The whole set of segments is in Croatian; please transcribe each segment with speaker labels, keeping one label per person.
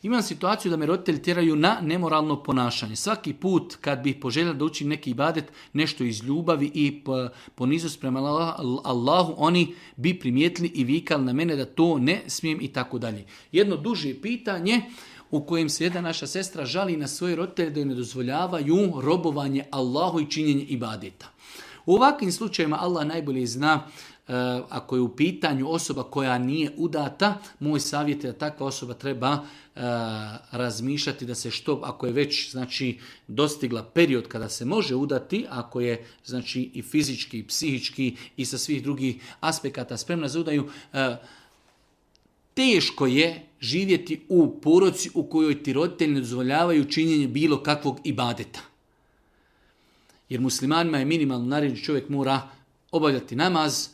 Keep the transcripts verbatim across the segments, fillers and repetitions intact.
Speaker 1: Imam situaciju da me roditelji tjeraju na nemoralno ponašanje. Svaki put kad bih poželjela da učim neki ibadet, nešto iz ljubavi i poniznost prema Allahu, oni bi primijetili i vikali na mene da to ne smijem i tako dalje. Jedno duže pitanje u kojem se jedna naša sestra žali na svoje roditelje da joj ne dozvoljavaju robovanje Allahu i činjenje ibadeta. U ovakvim slučajevima Allah najbolje zna. Uh, ako je u pitanju osoba koja nije udata, moj savjet je da takva osoba treba uh, razmišljati da se što, ako je već znači dostigla period kada se može udati, ako je znači i fizički, i psihički i sa svih drugih aspekata spremna za udaju, uh, teško je živjeti u porodici u kojoj ti roditelji ne dozvoljavaju činjenje bilo kakvog ibadeta. Jer muslimanima je minimalno naređeno, čovjek mora obavljati namaz,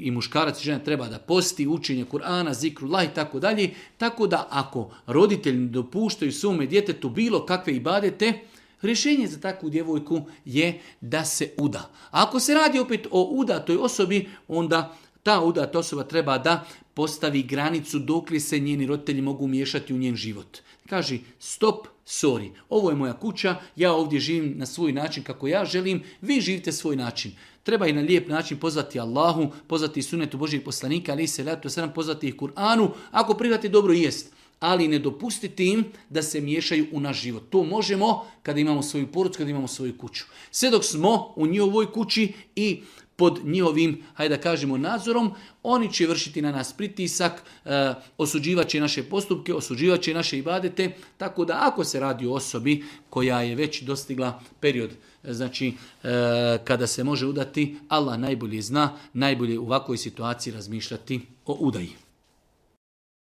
Speaker 1: i muškarac i žena treba da posti, učenje Kur'ana, zikrullah i tako dalje. Tako da ako roditelji ne dopuštaju svome djetetu bilo kakve ibadete, rješenje za takvu djevojku je da se uda. A ako se radi opet o udatoj osobi, onda ta udata osoba treba da postavi granicu dokle se njeni roditelji mogu miješati u njen život. Kaže stop, sorry, ovo je moja kuća, ja ovdje živim na svoj način kako ja želim, vi živite svoj način. Treba i na lijep način pozvati Allahu, pozvati sunetu Božijeg poslanika, ali se letu sedam, pozvati ih Kur'anu, ako prihvati dobro jest, ali ne dopustiti im da se miješaju u naš život. To možemo kada imamo svoju porodicu, kada imamo svoju kuću. Sve dok smo u njihovoj kući i pod njihovim, hajde da kažemo, nadzorom, oni će vršiti na nas pritisak, e, osuđivat će naše postupke, osuđivat će naše ibadete, tako da ako se radi o osobi koja je već dostigla period, znači e, kada se može udati, Allah najbolje zna, najbolje u ovakvoj situaciji razmišljati o udaji.